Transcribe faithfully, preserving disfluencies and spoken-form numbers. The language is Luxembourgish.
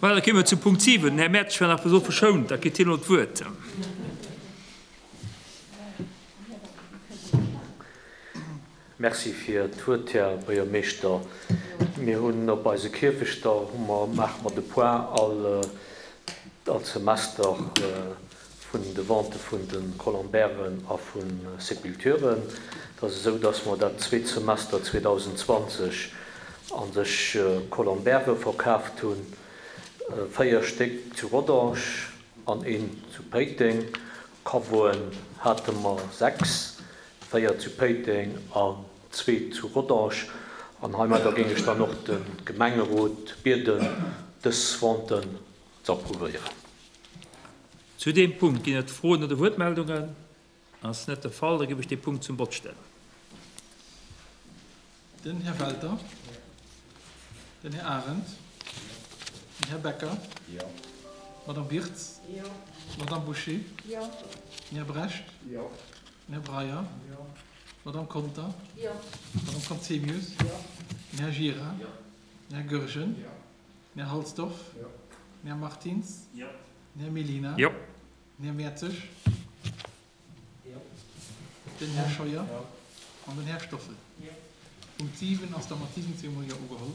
Voilà, da kéime mer zu Punkt siwen. Den Här Mertsch war nach bis elo verschount, da kritt hien elo d'Wuert. Merci fir d'Wuert, Här Buergermeeschter. Mir hunn op eise Kierfechter hu mer, maache mer de Point all, all Semester vun de Vente vun de Colombairen a vu Sépulturen. Et ass esou, dass mer dat zweet Semester zweedausendzwanzeg a sech Colombaire verkaaft hunn, véier Stéck zu Rodange an een zu Péiteng. Caveauen hate mer sechs, véier zu Péiteng an zwee zu Rodange. An heimadder géing ech dann och de Gemengerot bieden, dës Venten ze approuvéieren. Zu deem Punkt ginn et Froen oder Wuertmeldungen? Ass net de Fall, da géif ech dee Punkt zum Vott stellen. Den Här Welter. Den Här Arendt. Den Här Becker. D'Madame Wirtz. D'Madame Bouché. Den Här Brecht. Den Här Breyer. D'Madame Conter. D'Madame Conzemius. Den Här Gira. Den Här Goergen. Den Här Halsdorf. Den Här Martins. Den Här Mellina. Den Här Mertzig. Den Här Scheuer an den Här Stoffel. Punkt siwen ass da mat siwwenzéng mol Jo ugeholl.